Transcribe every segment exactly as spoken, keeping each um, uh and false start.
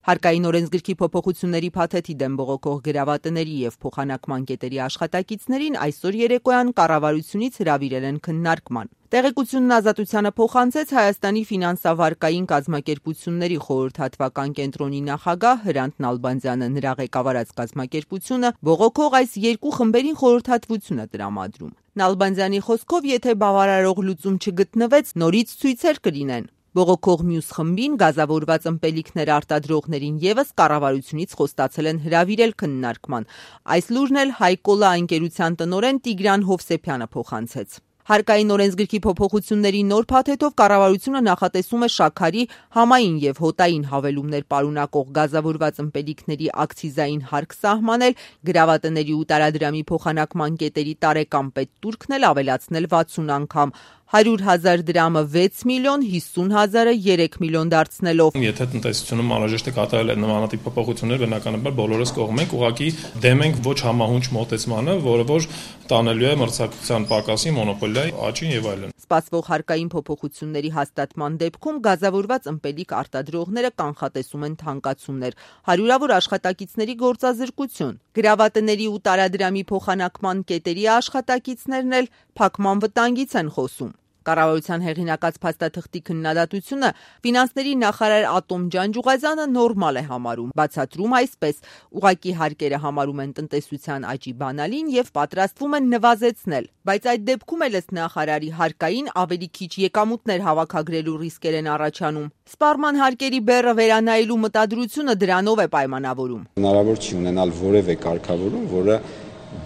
Հարկային օրենսգրքի փոփոխությունների փաթեթի դեմ բողոքող գրավատների եւ փոխանակման կետերի աշխատակիցներին այսօր երեկոյան կառավարությունից հրավիրել են քննարկման։ Տեղեկությունն Ազատությանը փոխանցեց Հայաստանի ֆինանսավարկային կազմակերպությունների խորհրդատվական կենտրոնի նախագահ Հրանտ Նալբանդյանը։ Նրա ղեկավարած կազմակերպությունը բողոքող այս երկու խմբերին խորհրդատվություն է տրամադրում։ Նալբանդյանի խոսքով, եթե բավարարող լուծում չգտնվեց, նորից ցույցեր կլինեն։ Բողոքող մյուս խմբին գազավորված ըմպելիքներ արտադրողներին ևս կառավարությունից խոստացել են հրավիրել քննարկման։ Այս լուրն էլ Հայկոլա ընկերության տնօրեն Տիգրան Հովսեփյանը փոխանցեց։ Հարկային օրենսգրքի փոփոխությունների նոր փաթեթով կառավարությունը նախատեսում է շաքարի, համային եւ հոտային հավելումներ պարունակող գազավորված ըմպելիքների ակցիզային հարկ սահմանել, գրավատների ու տարադրամի փոխանակման կետերի տարեկան պետտուրքն էլ ավելացնել վաթսուն անգամ, հարյուր հազար դրամը վեց միլիոն, հիսուն հազարը երեք միլիոն դարձնելով։ Եթե տնտեսությունում անհրաժեշտ է կատարել նմանատիպ փոփոխություններ, բնականաբար բոլորս կողմ ենք, ուղղակի դեմ ենք ոչ համահունչ մոտեցմանը, որը որ տանելու է մրցակցության պակասի, մոնոպոլիայի աճին եւ այլն։ Սպասվող հարկային փոփոխությունների հաստատման դեպքում գազավորված ըմպելիք արտադրողները կանխատեսում են թանկացումներ, հարյուրավոր աշխատակիցների գործազրկություն, գրավատների ու տարադրամի փոխանակման կետերի աշխատակիցներն էլ փակման վտանգից են խոսում։ Կառավարության հեղինակած փաստաթղթի քննադատությունը ֆինանսների նախարար Ատոմ Ջանջուղազյանը նորմալ է համարում, բացատրում այսպես. ուղղակի հարկերը համարում են տնտեսության աճի բանալին եւ պատրաստվում են նվազեցնել, բայց այդ դեպքում էլ ըստ նախարարի հարկային ավելի քիչ եկամուտներ հավաքագրելու ռիսկեր են առաջանում։ Սպառման հարկերի բեռը վերանայելու մտադրությունը դրանով է պայմանավորում։ Հնարավոր չի ունենալ որևէ կարգավորում, որը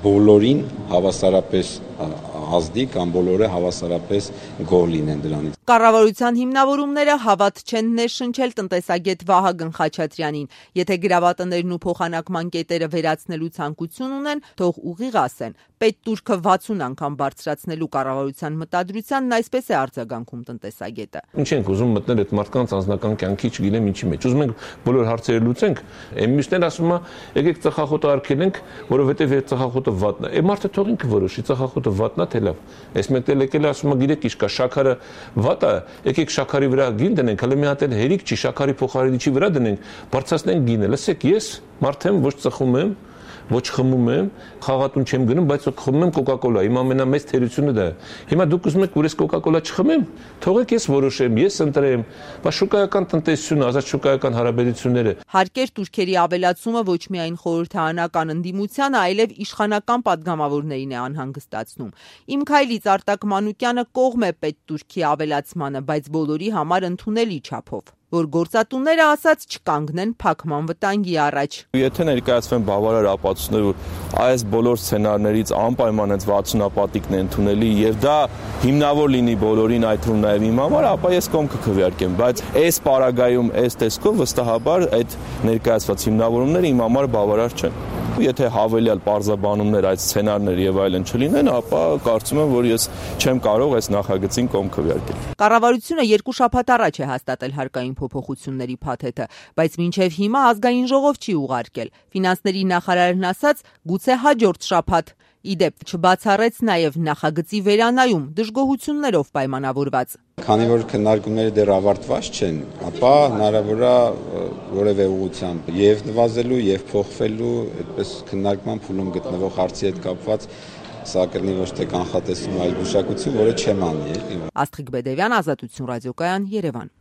բոլորին հավասարապես ազդի կամ բոլորը հավասարապես գոհ լինեն դրանից։ Կառավարության հիմնավորումները հավատ չեն ներշնչել տնտեսագետ Վահագն Խաչատրյանին։ Եթե գրավատներն ու փոխանակման կետերը վերացնելու ցանկություն ունեն, թող ուղիղ ասեն։ Պետտուրքը վաթսուն անգամ բարձրացնելու կառավարության մտադրությանն այսպես է արձագանքում տնտեսագետը։ Ինչ ենք ուզում մտնել այդ մարդկանց անձնական կյանքի, չգիտեմ ինչի մեջ։ Ուզում ենք բոլոր հարցերը լուծենք։ Այն մյուսներն ասում են, եկեք ծխախոտը արգելենք, որովհետև այդ ծխախոտը վատն է։ Այդ մարդը թող ինքը որոշի, ծխախոտը վատն է թե լավ։ Այս մեկը եկել է ասում է, գիտեք ինչ կա, շաքարը վատ է, եկեք շաքարի վրա գին դնենք, հələ մի հատ էլ հերիք չի, շաքարի փոխարինիչի վրա դնենք, բարձրացնենք գինը։ Լսեք, ես մարդ եմ, ոչ ծխում եմ, ոչ խմում եմ, խաղատուն չեմ գնում, բայց խմում եմ կոկա-կոլա։ Իմ ամենամեծ թերությունը դա է։ Հիմա դուք ուզում եք, որ ես կոկա-կոլա չխմեմ, թողեք ես որոշեմ, ես ընտրեմ, բայց շուկայական տնտեսությունը, ազատ շուկայական հարաբերությունները։ Հարկեր տուրքերի ավելացումը ոչ միայն խորհրդարանական ընդդիմությանը, այլև իշխանական падգամավորներին է անհանգստացնում։ Իմ քայլից Արտակ Մանուկյանը կողմ է պետտուրքի ավելացմանը, բայց բոլորի համար ընդունելի չափով, որ գործատուները ասած չկանգնեն փակման վտանգի առաջ։ Եթե ներկայացվեն բավարար ապացույցներ, որ այս բոլոր սցենարներից անպայման այդ վաթսունապատիկն է ընդունելի եւ դա հիմնավոր լինի բոլորին, այդ թվում նաեւ իմ համար, ապա ես կողմ կքվեարկեմ, բայց այս պարագայում, այս տեսքով վստահաբար այդ ներկայացված հիմնավորումները իմ համար բավարար չեն։ Եթե հավելյալ պարզաբանումներ, այդ սցենարներ եւ այլն չլինեն, ապա կարծում եմ, որ ես չեմ կարող այս նախագծին կողմ քվեարկել։ Կառավարությունը երկու շաբաթ առաջ է հաստատել հարկային փոփոխությունների փաթեթը, բայց մինչև հիմա ազգային ժողով չի ուղարկել։ Ֆինանսների նախարարն ասաց, գուցե հաջորդ շաբաթ։ Իդեպ չբացառեց նաև նախագծի վերանայում դժգոհություններով պայմանավորված։ Քանի որ քննարկումները դեռ ավարտված չեն, ապա հնարավոր է որևէ ուղղությամբ եւ նվազելու եւ փոխվելու, այդպես քննարկման փուլում գտնվող հարցի հետ կապված սա կլինի ոչ թե կանխատեսում, այլ գուշակություն, որը չեմ անի։ Աստղիկ Բեդևյան, Ազատություն ռադիոկայան, Երևան։